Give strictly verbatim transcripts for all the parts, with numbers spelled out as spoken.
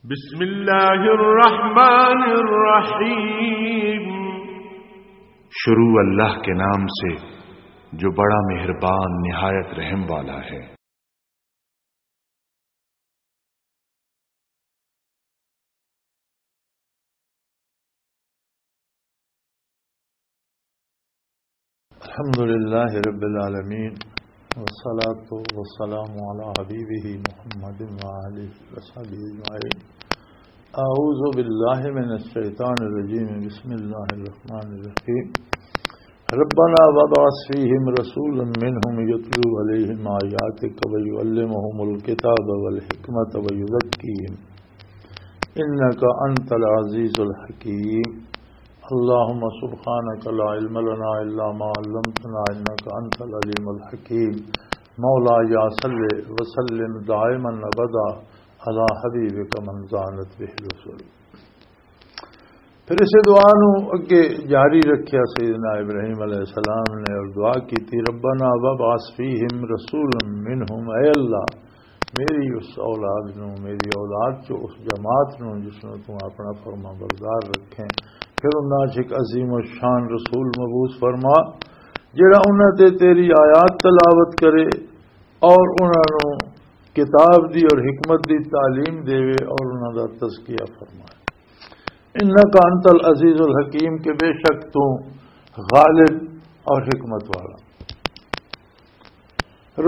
بسم اللہ الرحمن الرحیم۔ شروع اللہ کے نام سے جو بڑا مہربان نہایت رحم والا ہے۔ الحمد لله رب العالمين، والصلاة والسلام على حبيبه محمد وآله وصحبه أجمعين. أعوذ بالله من الشيطان الرجيم. بسم الله الرحمن الرحيم. ربنا وابعث فيهم رسولا منهم يتلو عليهم آياتك ويعلمهم الكتاب والحكمة ويزكيهم إنك أنت العزيز الحكيم. اللهم سبحانك لا علم لنا إلا ما علمتنا إنك أنت العليم الحكيم. مولاي صل وسلم دائما أبدا على حبيبك من زانت به الوصول. پھر اسے دعا نو اگے جاری رکھیا سیدنا ابراہیم علیہ السلام نے اور دعا کی تھی، ربنا وابعث فیہم رسولا منہم، اے اللہ، میری اس اولاد نو، میری اولاد چو اس جماعت نو جس نو تو اپنا فرما بردار رکھیں، پھر انہاں چ ایک عظیم الشان رسول مبعوث فرما، جڑا انہاں تے تیری آیات تلاوت کرے اور انہاں نو کتاب دی اور حکمت دی تعلیم دے اور انہاں دا تزکیہ فرمائے۔ انک انت العزیز الحکیم، کہ بے شک تو غالب اور حکمت والا۔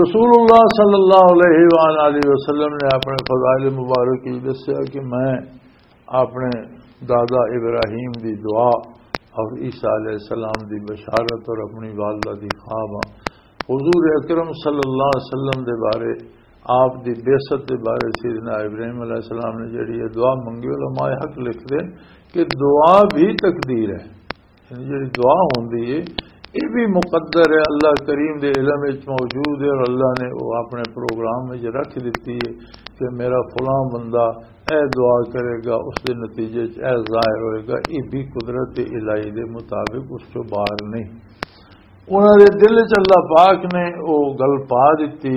رسول اللہ صلی اللہ علیہ وآلہ وسلم نے اپنے فضائل مبارک وچ دسیا کہ میں اپنے دادا ابراہیم دی دعا اور عیسیٰ علیہ السلام دی بشارت اور اپنی والدہ دی خواب ہاں۔ حضور اکرم صلی اللہ علیہ وسلم دے بارے، آپ دی بعثت دے بارے سیدنا ابراہیم علیہ السلام نے جڑی یہ دعا منگی، علماء حق لکھ دے کہ دعا بھی تقدیر ہے۔ یعنی جڑی دعا ہوندی ہے، یہ بھی مقدر ہے، اللہ کریم دے علم وچ موجود ہے اور اللہ نے وہ اپنے پروگرام وچ رکھ دتی ہے کہ میرا فلاں بندہ اے دعا کرے گا، اس دے نتیجے وچ اے ظاہر ہوئے گا۔ یہ بھی قدرت الہی دے مطابق اس چوں باہر نہیں۔ انہاں دے دل وچ اللہ پاک نے وہ گل پا دتی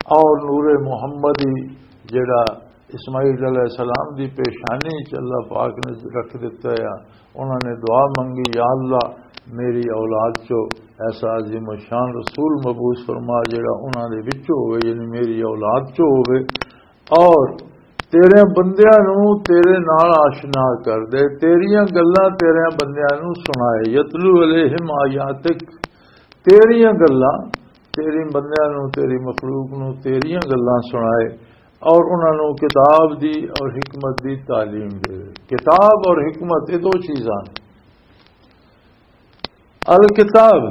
اور نور محمدی جڑا اسماعیل علیہ السلام دی پیشانی چ اللہ پاک نے رکھ دتا ہے۔ انہاں نے دعا منگی، یا اللہ، میری اولاد چو ایسا عظیم الشان رسول مبعوث فرما جڑا انہاں دے وچوں ہوئے، یعنی میری اولاد چو ہوئے، اور تیرے بندیاں نو تیرے نال آشنا کر دے، تیریاں گلاں تیرے بندیاں نو سنائے، یتلو علیہم آیاتک، تیریاں گلاں، تیری بندیاں نو، تیری مخلوق نو تیریاں گلاں سنائے اور انہاں نو کتاب دی اور حکمت دی تعلیم دے۔ کتاب اور حکمت یہ دو چیزاں نے۔ الکتاب،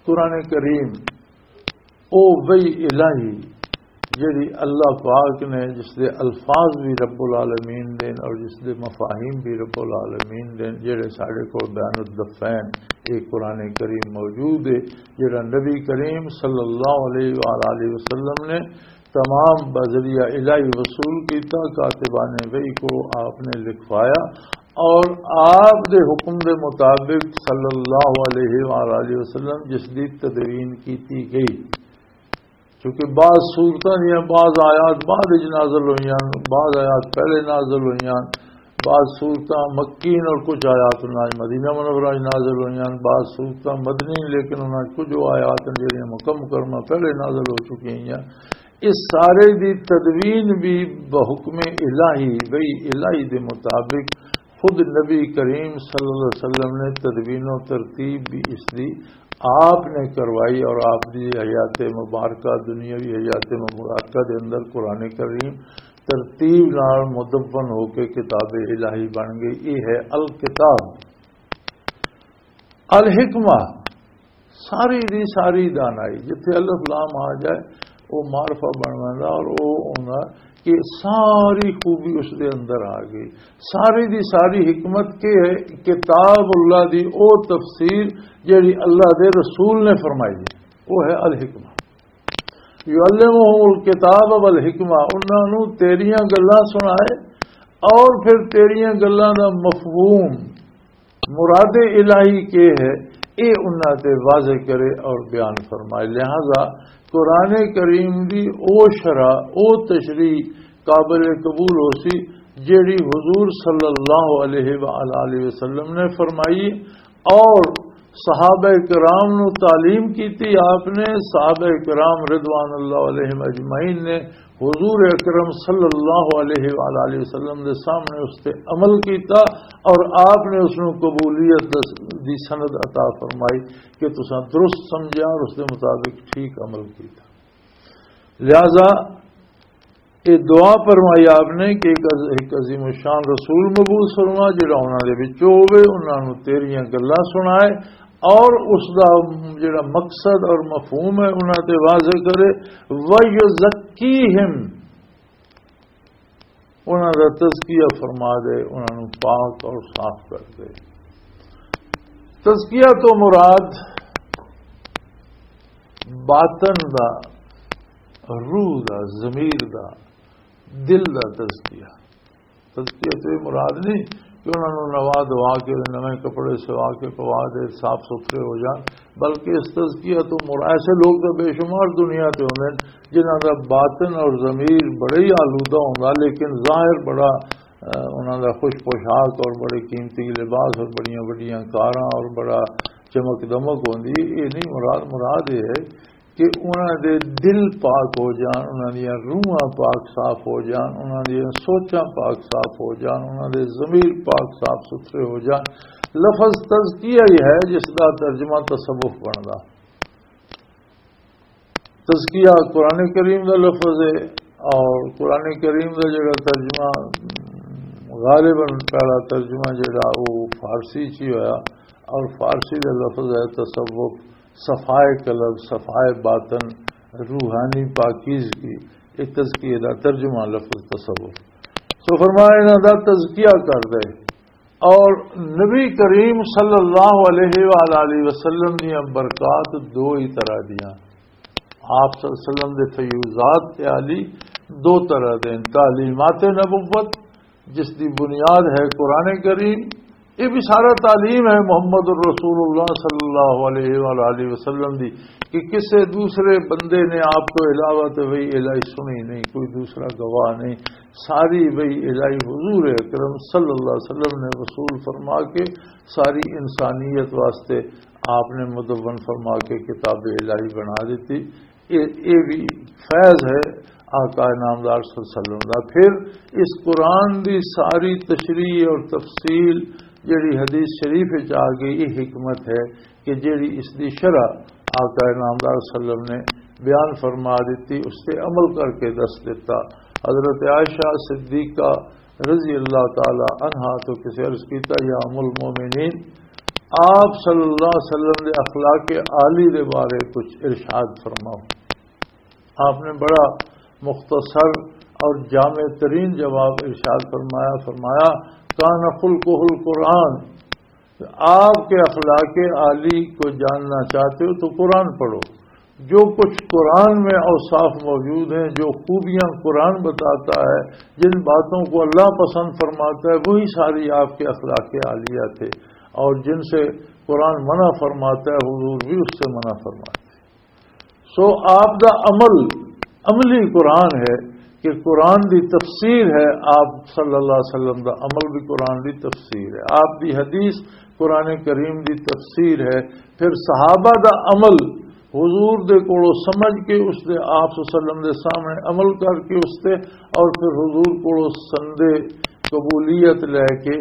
قرآن کریم، او وحی الہی جڑی اللہ پاک نے، جس دے الفاظ بھی رب العالمین دے اور جس دے مفاہیم بھی رب العالمین دے، جڑے ساڈے کول بیان الدفین، ایک قرآن کریم موجود ہے، جڑا نبی کریم صلی اللہ علیہ وآلہ وسلم نے تمام بذریعہ الہی وصول کیتا، کاتبان وحی کو آپ نے لکھوایا اور آپ دے حکم دے مطابق صلی اللہ علیہ وآلہ وسلم جس دی تدوین کیتی گئی۔ چونکہ بعض سورتاں دیاں بعض آیات بعد وچ نازل ہوئیاں، بعض آیات پہلے نازل ہوئیاں، بعض سورتاں مکی اور کچھ آیات انہاں مدینہ منورہ وچ نازل ہوئیاں، بعض سورتاں مدنی، لیکن انہاں کچھ آیات ہیں جڑیاں مکہ مکرمہ پہلے نازل ہو چکی ہیں۔ اس سارے دی تدوین بھی بحکم الہی، وحی الہی دے مطابق خود نبی کریم صلی اللہ علیہ وسلم نے تدوین و ترتیب بھی اس دی آپ نے کروائی اور آپ دی حیات مبارکہ، دنیاوی حیات مبارکہ دے اندر قرآن کریم ترتیب نال مدون ہو کے کتاب الہی بن گئی۔ یہ ہے الکتاب۔ الحکمہ، ساری دی ساری دانائی، جتھے الف لام آ جائے، وہ معرفہ بن ویندا اور وہ ہوندا کہ ساری خوبی اس دے اندر آ گئی۔ ساری دی ساری حکمت کی ہے؟ کتاب اللہ دی او تفسیر جڑی اللہ دے رسول نے فرمائی ہے، وہ ہے الحکمہ۔ یعلمہم الکتاب والحکمہ، انہاں نوں تیریاں گلاں سنائے اور پھر تیریاں گلاں دا مفہوم، مراد الہی کے ہے، اے انہاں تے واضح کرے اور بیان فرمائے۔ لہذا قرآن کریم دی او شرح، او تشریح قابل قبول ہو سی، جیڑی حضور صلی اللہ علیہ وآلہ وسلم نے فرمائی اور صحابہ کرام نو تعلیم کیتی آپ نے۔ صحابہ کرام رضوان اللہ علیہم اجمعین نے حضور اکرم صلی اللہ علیہ وآلہ وسلم دے سامنے اس تے عمل کیتا اور آپ نے اس نو قبولیت دس-، دی سند عطا فرمائی کہ تساں درست سمجھیا اور اس دے مطابق ٹھیک عمل کیتا۔ لہذا یہ دعا فرمائی آپ نے کہ ایک عظ-، ایک عظیم الشان رسول مبعوث فرما، جڑا انہاں دے وچوں ہوے، انہاں نوں تیریاں گلاں سنائے اور اس دا جڑا مقصد اور مفہوم ہے، انہاں تے واضح کرے۔ وَيُزَكِّيهِمْ، انہاں دا تزکیہ فرما دے، انہاں نوں پاک اور صاف کر دے۔ تزکیہ تو مراد باطن دا، روح دا، ضمیر دا، دل دا تزکیہ۔ تزکیہ تو یہ مراد نہیں کہ انہاں نوں نوا دوا کے، نویں کپڑے سوا کے پوا دے، صاف ستھرے ہو جان، بلکہ اس تزکیہ تو مراد، ایسے لوگ تو بے شمار دنیا تے ہوندے نے جنہاں دا باطن اور ضمیر بڑا ہی آلودہ ہوندا، لیکن ظاہر بڑا، اہ، انہاں دا خوش پوشاک اور بڑے قیمتی لباس اور بڑیاں وڈیاں کاراں اور بڑا چمک دمک ہوندی۔ یہ نہیں مراد۔ مراد یہ ہے کہ انہاں دے دل پاک ہو جان، انہاں دیاں روحاں پاک صاف ہو جان، انہاں دیاں سوچاں پاک صاف ہو جان، انہاں دے ضمیر پاک صاف ستھرے ہو جان۔ لفظ تزکیہ ہی ہے جس دا ترجمہ تصوف بندا۔ تزکیہ قرآن کریم دا لفظ ہے، اور قرآن کریم دا جڑا ترجمہ، غالباً پہلا ترجمہ جڑا وہ فارسی چ ہی ہویا، اور فارسی دا لفظ ہے تصوف، صفائے قلب، صفائے باطن، روحانی پاکیزگی۔ یہ تزکیے دا ترجمہ لفظ تصوف۔ سو فرمایا، انہاں دا تزکیہ کر دے۔ اور نبی کریم صلی اللہ علیہ وآلہ وسلم دیاں برکات دو ہی طرح دیاں۔ آپ صلی اللہ علیہ وسلم دے فیوضات عالی دو طرح دے ہیں۔ تعلیمات نبوت، جس دی بنیاد ہے قرآن کریم، یہ بھی سارا تعلیم ہے محمد الرسول اللہ صلی اللہ علیہ وآلہ وسلم دی، کہ کسے دوسرے بندے نے آپ تو علاوہ تو وہی الہی سنی نہیں، کوئی دوسرا گواہ نہیں، ساری وہی الہی حضور اکرم صلی اللہ علیہ وسلم نے وصول فرما کے ساری انسانیت واسطے آپ نے مدون فرما کے کتاب الہی بنا دیتی۔ یہ، یہ بھی فیض ہے آقا نامدار صلی اللہ علیہ وسلم دا۔ پھر اس قرآن دی ساری تشریح اور تفصیل جڑی حدیث شریف وچ آ گئی، یہ حکمت ہے کہ جڑی اس دی شرح آقا نامدار صلی اللہ علیہ وسلم نے بیان فرما دیتی، اس تے عمل کر کے دس دیتا۔ حضرت عائشہ صدیقہ رضی اللہ تعالی عنہا تو کسے عرض کیتا، یا ام المومنین، آپ صلی اللہ علیہ وسلم دے اخلاق عالی دے بارے کچھ ارشاد فرماؤ۔ آپ نے بڑا مختصر اور جامع ترین جواب ارشاد فرمایا، فرمایا، کان خلقہ القرآن، آپ کے اخلاق عالی کو جاننا چاہتے ہو تو قرآن پڑھو۔ جو کچھ قرآن میں اوصاف موجود ہیں، جو خوبیاں قرآن بتاتا ہے، جن باتوں کو اللہ پسند فرماتا ہے، وہی ساری آپ کے اخلاق عالیہ تھے، اور جن سے قرآن منع فرماتا ہے، حضور بھی اس سے منع فرماتے ہیں۔ سو آپ دا عمل، عملی قرآن ہے کہ قرآن دی تفسیر ہے۔ آپ صلی اللہ علیہ وسلم دا عمل بھی قرآن دی تفسیر ہے، آپ دی حدیث قرآن کریم دی تفسیر ہے۔ پھر صحابہ دا عمل، حضور دے کولوں سمجھ کے، اس دے، آپ صلی اللہ علیہ وسلم دے سامنے عمل کر کے اس تے، اور پھر حضور کولوں سندے قبولیت لے کے،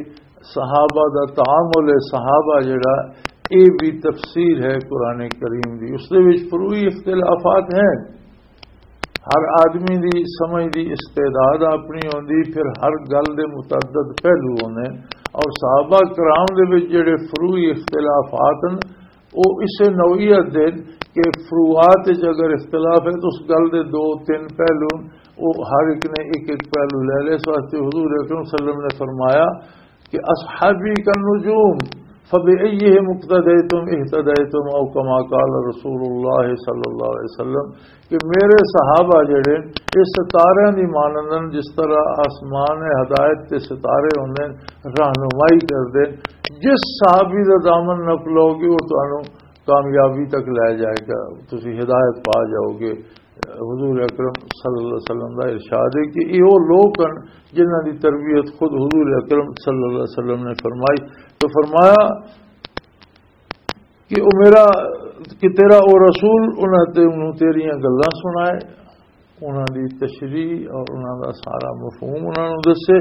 صحابہ دا تعامل ہے، صحابہ جڑا، اے بھی تفسیر ہے قرآن کریم دی۔ اس دے وچ فروعی اختلافات ہیں، ہر آدمی دی سمجھ دی استعداد اپنی ہوندی، پھر ہر گل دے متعدد پہلو ہوندے، اور صحابہ کرام دے وچ جڑے فروعی اختلافات ہیں، وہ اسے نوعیت دے کہ فروعات وچ اگر اختلاف ہے تو اس گل دے دو تین پہلو، وہ ہر ایک نے ایک ایک پہلو لے لے۔ اس واسطے حضور اکرم صلی اللہ علیہ وسلم نے فرمایا کہ اصحابی کا نجوم، فبأیہم اقتدیتم اہتدیتم، او کما قال رسول اللہ صلی اللہ علیہ وسلم، کہ میرے صحابہ جڑے، یہ ستارے دی مانند ہیں، جس طرح آسمان ہدایت تے ستارے ہوندے ہیں، رہنمائی کردے ہیں۔ جس صحابی دا دامن نپ لو گے، وہ تانوں کامیابی تک لے جائے گا، تسی ہدایت پا جاؤ گے۔ حضور اکرم صلی اللہ علیہ وسلم دا ارشاد ہے کہ یہ وہ لوگ ہیں جنہاں دی تربیت خود حضور اکرم صلی اللہ علیہ وسلم نے فرمائی۔ تو فرمایا کہ او میرا، کہ تیرا او رسول انہاں تے انہوں تیریاں گلاں سنائے، انہاں دی تشریح اور انہاں دا سارا مفہوم انہاں نوں دسے،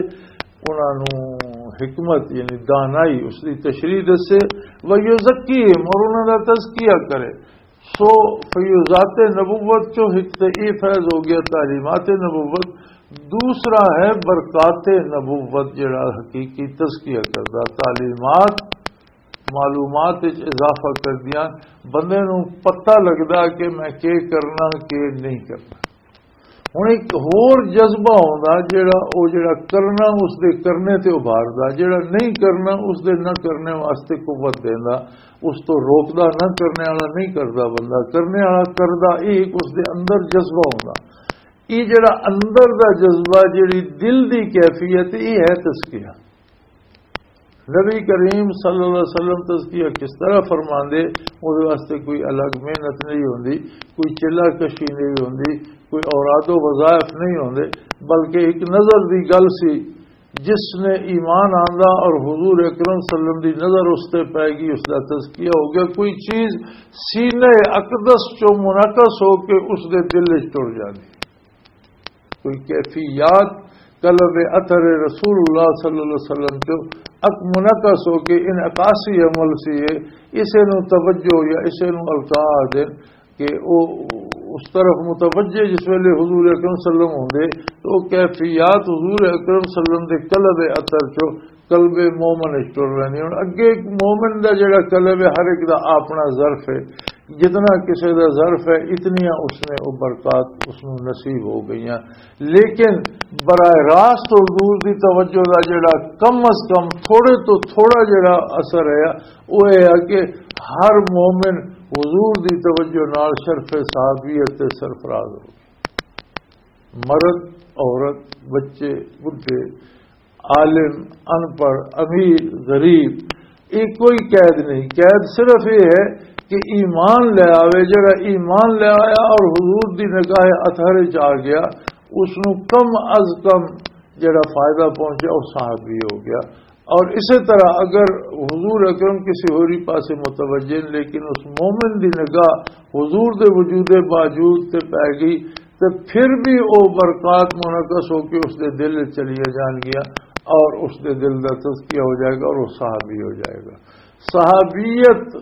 انہاں نوں حکمت یعنی دانائی اس دی تشریح دسے، وَيُزَكِّيهِمْ، اور انہاں دا تزکیہ کرے۔ سو فیوزات نبوت چوں ایک تے یہ فیض ہو گیا تعلیمات نبوت، دوسرا ہے برکات نبوت جڑا حقیقی تزکیہ کردا۔ تعلیمات معلومات وچ اضافہ کردیاں، بندے نوں پتہ لگدا کہ میں کی کرنا، کی نہیں کرنا۔ ہن ایک ہور جذبہ ہوندا جڑا او جڑا کرنا اس دے کرنے تے ابھاردا، جڑا نہیں کرنا اس دے نہ کرنے واسطے قوت دیندا، اس تو روکدا، نہ کرنے والا نہیں کردا، بندہ کرنے والا کردا، یہ ایک اس دے اندر جذبہ ہوندا۔ یہ جڑا اندر دا جذبہ، جڑی دل دی کیفیت، یہ ہے تزکیہ۔ نبی کریم صلی اللہ علیہ وسلم تزکیہ کس طرح فرماندے، اس واسطے کوئی الگ محنت نہیں ہوندی، کوئی چلہ کشی نہیں ہوندی، کوئی اوراد و وظائف نہیں ہوندے، بلکہ ایک نظر دی گل سی۔ جس نے ایمان آندا اور حضور اکرم صلی اللہ علیہ وسلم دی نظر اس تے پے گئی، اس دا تزکیہ ہو گیا۔ کوئی چیز سینہ اقدس چوں منعکس ہو کے اس دے دل وچ ٹر جاندی۔ کوئی کیفیات قلب اطہر رسول اللہ صلی اللہ علیہ وسلم چوں اک منعکس ہو کے انعکاسی عمل سی ہے، اسے نوں توجہ یا اسے نوں القاء آخدے کہ او اس طرف متوجہ جس ویلے حضور اکرم صلی اللہ علیہ وسلم ہوندے تو او کیفیات حضور اکرم صلی اللہ علیہ وسلم دے قلب اطہر چوں قلب مومن وچ ٹر رہندی۔ ہن اگے ایک مومن دا جڑا قلب ہے، ہر ایک دا اپنا ظرف ہے، جتنا کسے دا ظرف ہے، اتنیاں اس نے او برکات اس نوں نصیب ہو گئیاں۔ لیکن براہ راست حضور دی توجہ دا جڑا کم از کم تھوڑے تو تھوڑا جڑا اثر ہے، وہ یہ ہے کہ ہر مومن حضور دی توجہ نال شرف صحابیت تے سرفراز ہو۔ مرد، عورت، بچے، بڈھے، عالم، ان پڑھ، امیر، غریب، یہ کوئی قید نہیں۔ قید صرف یہ ہے کہ ایمان لے آوے، جڑا ایمان لے آیا اور حضور دی نگاہ اطہر وچ آ گیا، اس نوں کم از کم جڑا فائدہ پہنچا، وہ صحابی ہو گیا۔ اور اسی طرح اگر حضور اکرم کسی ہوری پاسے متوجہ ہیں، لیکن اس مومن دی نگاہ حضور دے وجود باوجود تے پے گئی، تے پھر بھی او برکات منعکس ہو کے اس دے دل وچ چلیاں جان گیا اور اس دے دل دا تزکیہ ہو جائے گا اور وہ صحابی ہو جائے گا۔ صحابیت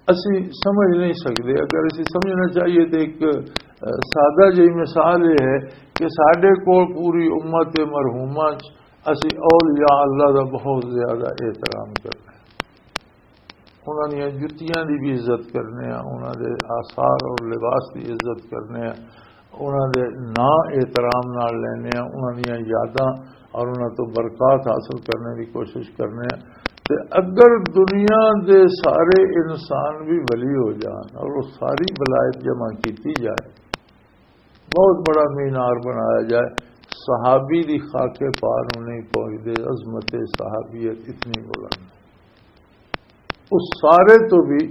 اسی سمجھ نہیں سکتے۔ اگر اسی سمجھنا چاہیے تو ایک، اہ، سادہ جہی مثال یہ ہے کہ ساڈے کول پوری امت مرحومہ چ اسی اولیاء اللہ دا بہت زیادہ احترام کرنے ہیں۔ انہاں دیاں جتیاں دی بھی عزت کرنے ہیں، انہاں دے آثار اور لباس دی عزت کرنے ہیں، انہاں دے ناں احترام نال لینے ہیں، انہاں دیاں یاداں اور انہاں تو برکات حاصل کرنے دی کوشش کرنے ہیں۔ تے اگر دنیا دے سارے انسان بھی ولی ہو جان اور وہ ساری ولایت جمع کیتی جائے، بہت بڑا مینار بنایا جائے، صحابی دی خاک پا نوں نہیں پہنچدے۔ عظمت صحابیت اتنی بلند ہے، اس سارے تو بھی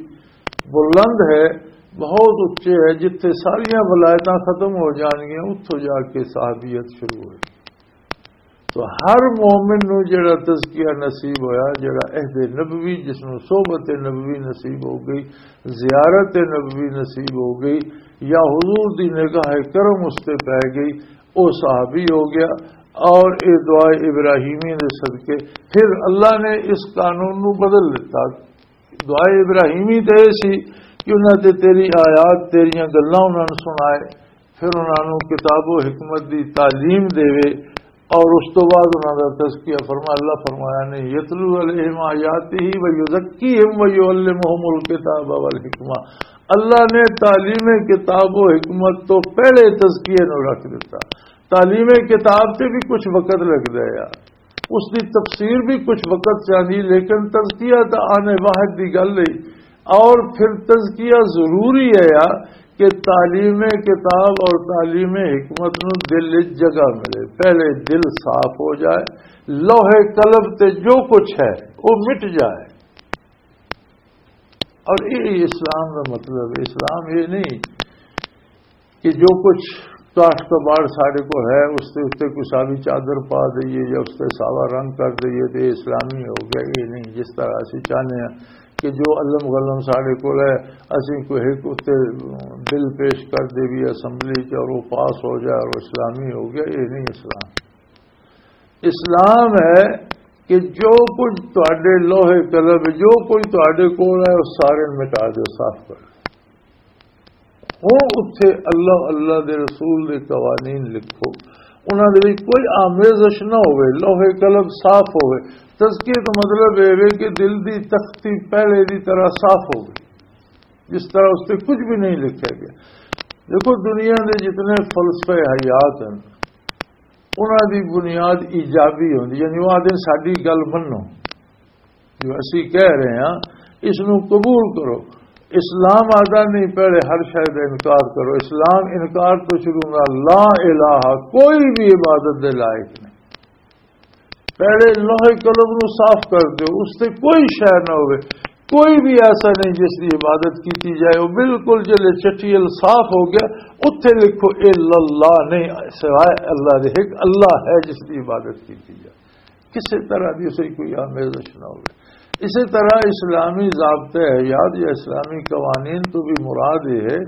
بلند ہے، بہت اچے ہے۔ جتھے ساریاں ولایتاں ختم ہو جان گیاں، اتھوں جا کے صحابیت شروع ہوئی۔ تو ہر مومن نو جڑا تزکیہ نصیب ہویا، جڑا عہد نبوی، جس نو صحبت نبوی نصیب ہو گئی، زیارت نبوی نصیب ہو گئی، یا حضور دی نگاہ کرم اس تے پے گئی، او صحابی ہو گیا۔ اور اے دعا ابراہیمی دے صدقے پھر اللہ نے اس قانون نو بدل دیتا۔ دعا ابراہیمی تے اے سی کہ انہاں تے تیری آیات، تیریاں گلاں انہاں نوں سنائے، پھر انہاں نوں کتاب و حکمت دی تعلیم دیوے، اور اس تو بعد انہاں دا تزکیہ فرما، اللہ فرمایا نے، "یتلو علیہم آیاتہ و یزکیہم و یعلمہم الکتاب والحکمہ۔" اللہ نے تعلیم کتاب و حکمت تو پہلے تزکیے نوں رکھ دیتا۔ تعلیم کتاب تے بھی کچھ وقت لگدا ہے، اس دی تفسیر بھی کچھ وقت چاہیے، لیکن تزکیہ تا آنے واحد دی گل ہے۔ اور پھر تزکیہ ضروری ہے یا کہ تعلیم کتاب اور تعلیم حکمت نو دل وچ جگہ ملے، پہلے دل صاف ہو جائے، لوح قلب تے جو کچھ ہے وہ مٹ جائے۔ اور یہ اسلام دا مطلب ہے۔ اسلام یہ نہیں کہ جو کچھ کاشت کباڑ ساڈے کول ہے، اس دے اُتے کوئی ساوی چادر پا دئیے یا اس تے ساوا رنگ کر دئیے تے اسلامی ہو گیا۔ یہ نہیں، جس طرح اسی چاہنے ہاں کہ جو علم غلم ساڈے کول ہے، اسی کوئی ایک اُتے بل پیش کر دے بھی اسمبلی چ اور وہ پاس ہو جائے اور اسلامی ہو گیا، یہ نہیں اسلام۔ اسلام ہے کہ جو کچھ تہاڈے لوہے قلم، جو کچھ تہاڈے کول ہے، وہ سارے مٹا دو، صاف کر دو۔ ہن اتھے اللہ، اللہ دے رسول دے قوانین لکھو، انہاں دے وچ کوئی آمیزش نہ ہوئے، لوح قلم صاف ہوئے۔ تزکیے دا مطلب اے وے کہ دل دی تختی پہلے دی طرح صاف ہو گئی، جس طرح اس تے کچھ بھی نہیں لکھا گیا۔ دیکھو، دنیا دے جتنے فلسفے حیات ہیں، انہاں دی بنیاد ایجابی ہوندی، یعنی وہ آدھے ساڈی گل منو، جو اسی کہہ رہے ہیں، اس نو قبول کرو۔ اسلام آدھا نہیں، پہلے ہر شے دا انکار کرو۔ اسلام انکار تو شروع نہ، لا الہ، کوئی بھی عبادت دے لائق نہیں۔ پہلے لوح قلم نو صاف کر دیو، اس تے کوئی شے نہ ہوئے، کوئی بھی ایسا نہیں جس دی عبادت کیتی جائے۔ وہ بالکل جلے چٹیل صاف ہو گیا، اتھے لکھو الا اللہ، نہیں، سوائے اللہ دے ایک اللہ ہے جس دی عبادت کیتی جائے۔ کسی طرح دی اسے کوئی آمیزش نہ ہوئے۔ اسی طرح اسلامی ضابطے حیات یا اسلامی قوانین تو بھی مراد یہ ہے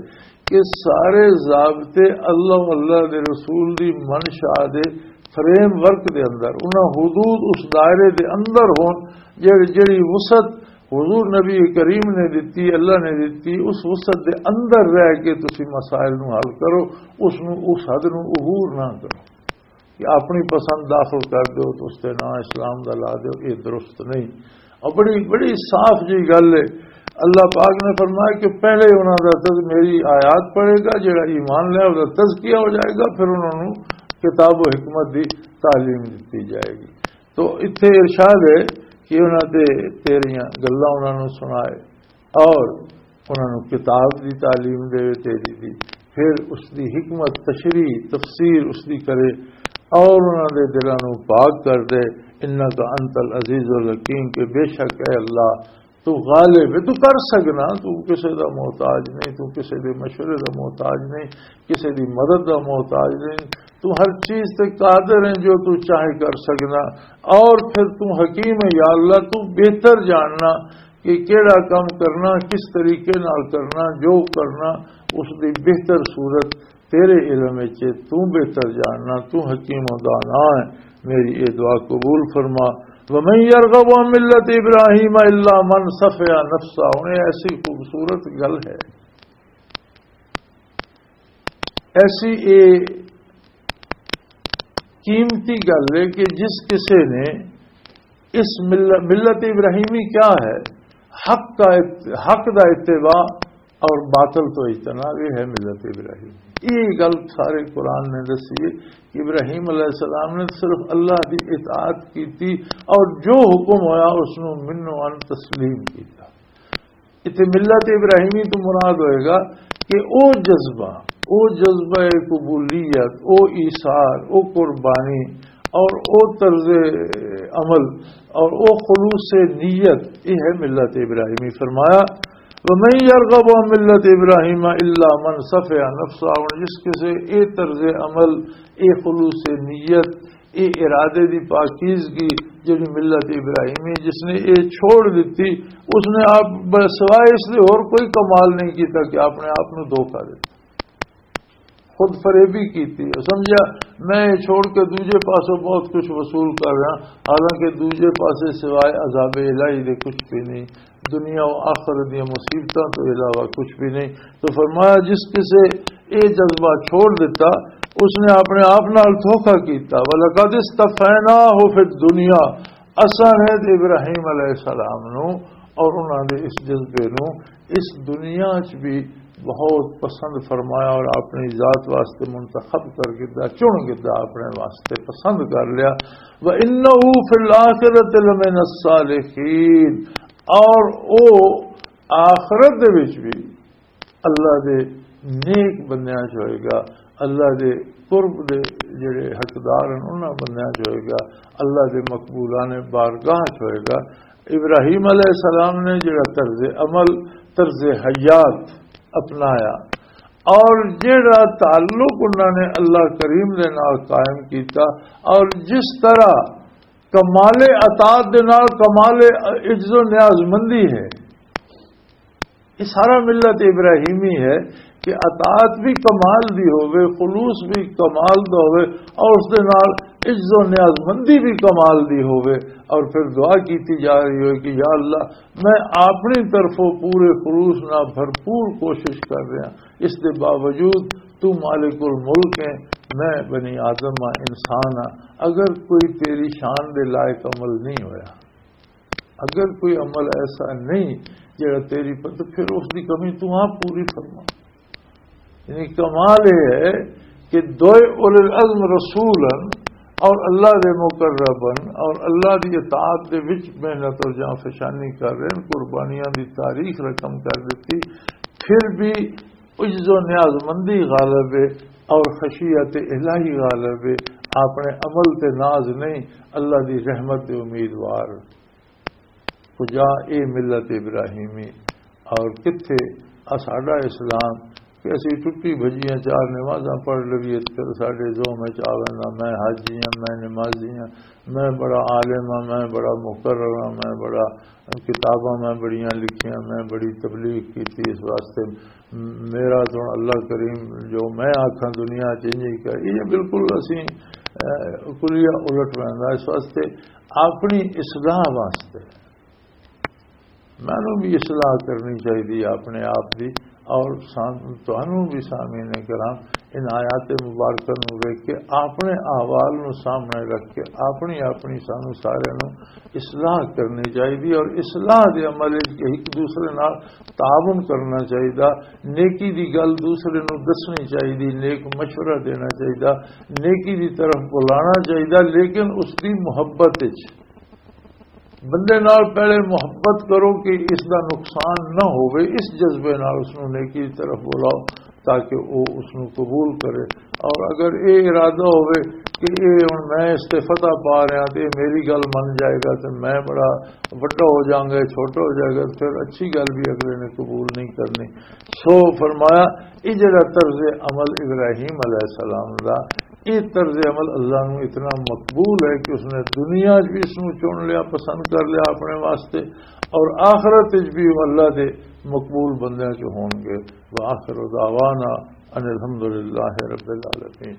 کہ سارے ضابطے اللہ و اللہ دے رسول دی منشا دے فریم ورک دے اندر، انہاں حدود، اس دائرے دے اندر ہون، جڑی، جڑی وسعت حضور نبی کریم نے دتی، اللہ نے دتی، اس وسعت دے اندر رہ کے تسی مسائل نو حل کرو، اس نو، اس حد نو عبور نہ کرو۔ کہ اپنی پسند داخل کر دیو تو اس تے نام اسلام دا لا دیو، یہ درست نہیں۔ اور بڑی، بڑی صاف جی گل ہے۔ اللہ پاک نے فرمایا کہ پہلے انہاں دا تذ-، میری آیات پڑھے گا، جڑا ایمان لے، اس دا تزکیہ ہو جائے گا، پھر انہاں نوں کتاب و حکمت دی تعلیم دتی جائے گی۔ تو اتھے ارشاد ہے کہ انہاں تے تیریاں گلاں انہاں نوں سنائے، اور انہاں نوں کتاب دی تعلیم دے تیری دی، پھر اس دی حکمت، تشریح، تفسیر اس دی کرے، اور انہاں دے دلاں نوں پاک کر دے۔ انک انت العزیز الحکیم، کہ بے شک اے اللہ، تو غالب ہے، تو کر سکنا، تو کسے دا محتاج نہیں، تو کسے دے مشورے دا محتاج نہیں، کسے دی مدد دا محتاج نہیں، تو ہر چیز تے قادر ہے، جو تو چاہے کر سکنا۔ اور پھر تو حکیم ہے، یا اللہ، تو بہتر جاننا کہ کیڑا کام کرنا، کس طریقے نال کرنا، جو کرنا، اس دی بہتر صورت تیرے علم وچ ہے، تو بہتر جاننا، تو حکیم و دانا ہے۔ میری یہ دعا قبول فرما۔ ومن یرغب عن ملت ابراہیم الا من صفح نفسہ، انہیں ایسی خوبصورت گل ہے، ایسی اے قیمتی گل ہے کہ جس کسے نے اس مل-، ملت ابراہیمی کیا ہے؟ حق کا ات-، حق دا اتباع اور باطل تو اجتناب، یہ ہے ملت ابراہیمی۔ یہ گل سارے قرآن نے دسی ہے کہ ابراہیم علیہ السلام نے صرف اللہ دی اطاعت کی تھی اور جو حکم ہویا اس نو منو ان تسلیم کیتا۔ اتنے ملت ابراہیمی تو مراد ہوئے گا کہ او جذبہ، او جذبہ قبولیت، او ایثار، او قربانی اور او طرز عمل اور او خلوص نیت، یہ ہے ملت ابراہیمی۔ فرمایا، ومن یرغب عن ملت ابراہیم الا من صفح نفسہ، اور جس کسے اے طرز عمل، اے خلوص نیت، اے ارادے دی پاکیزگی جڑی ملت ابراہیمی، جس نے اے چھوڑ دتی، اس نے آپ ب-، سوائے اس دے اور کوئی کمال نہیں کیتا کہ آپ نے آپ نو دھوکا دتا، خود فریبی کیتی۔ سمجھا، میں یہ چھوڑ کے دوجے پاسوں بہت کچھ وصول کر رہا، حالانکہ دوجے پاسے سوائے عذاب الہی دے کچھ بھی نہیں۔ دنیا و آخرت دیاں مصیبتاں تو علاوہ کچھ بھی نہیں۔ تو فرمایا، جس کسے اے جذبہ چھوڑ دیتا، اس نے اپنے آپ نال دھوکا کیتا۔ وَلَقَدِ اصْطَفَيْنَاهُ فِي الدُّنْيَا، اساں نے تے ابراہیم علیہ السلام نو اور انہاں دے اس جذبے نو اس دنیا چ بھی بہت پسند فرمایا اور اپنی ذات واسطے منتخب کر گدا، چن گدا، اپنے واسطے پسند کر لیا۔ وَإِنَّهُ فِي الْآخِرَةِ لَمِنَ الصَّالِحِينَ، اور او آخرت دے وچ بھی اللہ دے نیک بندیاں چ ہوئے گا، اللہ دے قرب دے جڑے حقدار ہیں انہاں بندیاں چ ہوئے گا، اللہ دے مقبولان بارگاہ چ ہوئے گا۔ ابراہیم علیہ السلام نے جڑا طرز عمل، طرز حیات اپنایا، اور جڑا تعلق انہاں نے اللہ کریم دے نال قائم کیتا، اور جس طرح کمال اطاعت دے نال کمال عجز و نیاز مندی ہے، یہ سارا ملت ابراہیمی ہے کہ اطاعت بھی کمال دی ہووے، خلوص بھی کمال دا ہووے، اور اس دے نال عجز و نیاز مندی بھی کمال دی ہووے، اور پھر دعا کیتی جا رہی ہوئے کہ یا اللہ، میں اپنی طرفوں پورے خلوص نال بھرپور کوشش کر رہا، اس دے باوجود تو مالک الملک ہے، میں بنی آدم ہاں، انسان ہاں، اگر کوئی تیری شان دے لائق عمل نہیں ہویا، اگر کوئی عمل ایسا نہیں جڑا تیری پر، تو پھر اس دی کمی تو آپ پوری فرما۔ یعنی کمال یہ ہے کہ دوئے اولو العزم رسولن، اور اللہ دے مقربن اور اللہ دی اطاعت دے وچ محنت اور جان فشانی کر رہے ہیں، قربانیاں دی تاریخ رقم کر دیتی، پھر بھی عجز و نیاز مندی غالب ہے اور خشیت الہی غالب ہے۔ اپنے عمل تے ناز نہیں، اللہ دی رحمت دے امیدوار۔ کجا اے ملت ابراہیمی اور کتھے آ ساڈا اسلام کہ اسی ٹٹی بھجیاں چار نمازاں پڑھ لویے تے پھر ساڈے ذہن وچ آ ویندا، میں حاجی ہاں، میں نمازی ہاں، میں بڑا عالم ہاں، میں بڑا مقرر ہاں، میں بڑا کتاباں میں بڑیاں لکھیاں، میں بڑی تبلیغ کیتی، اس واسطے میرا تو اللہ کریم جو میں آکھاں دنیا چ انج ہی کر، یہ بالکل اسی، اے، کلیہ الٹ ویندا۔ اس واسطے اپنی اصلاح واسطے مینوں بھی اصلاح کرنی چاہیے اپنے آپ دی، اور سام-، تانوں بھی سامعین کرام ان آیات مبارکہ نوں ویکھ کے اپنے احوال نوں سامنے رکھ کے اپنی، اپنی سانوں سارے نوں اصلاح کرنی چاہیے، اور اصلاح دے عمل وچ ایک دوسرے نال تعاون کرنا چاہیے، نیکی دی گل دوسرے نوں دسنی چاہیے، نیک مشورہ دینا چاہیے، نیکی دی طرف بلانا چاہیے، لیکن اس دی محبت وچ۔ بندے نال پہلے محبت کرو کہ اس دا نقصان نہ ہووے، اس جذبے نال اس نوں نیکی دی طرف بلاؤ تاکہ وہ اس نوں قبول کرے۔ اور اگر یہ ارادہ ہووے کہ یہ ہن میں اس تے فتح پا رہا تے یہ میری گل من جائے گا تے میں بڑا وڈا ہو جاؤں گا، یہ چھوٹا ہو جائے گا، پھر اچھی گل بھی اگلے نے قبول نہیں کرنی۔ سو فرمایا، یہ جڑا طرز عمل ابراہیم علیہ السلام دا، یہ طرز عمل اللہ نو اتنا مقبول ہے کہ اس نے دنیا وچ بھی اس نو چن لیا، پسند کر لیا اپنے واسطے، اور آخرت وچ بھی وہ اللہ دے مقبول بندیاں چ ہون گے۔ وآخر دعوانا ان الحمدللہ رب العالمین۔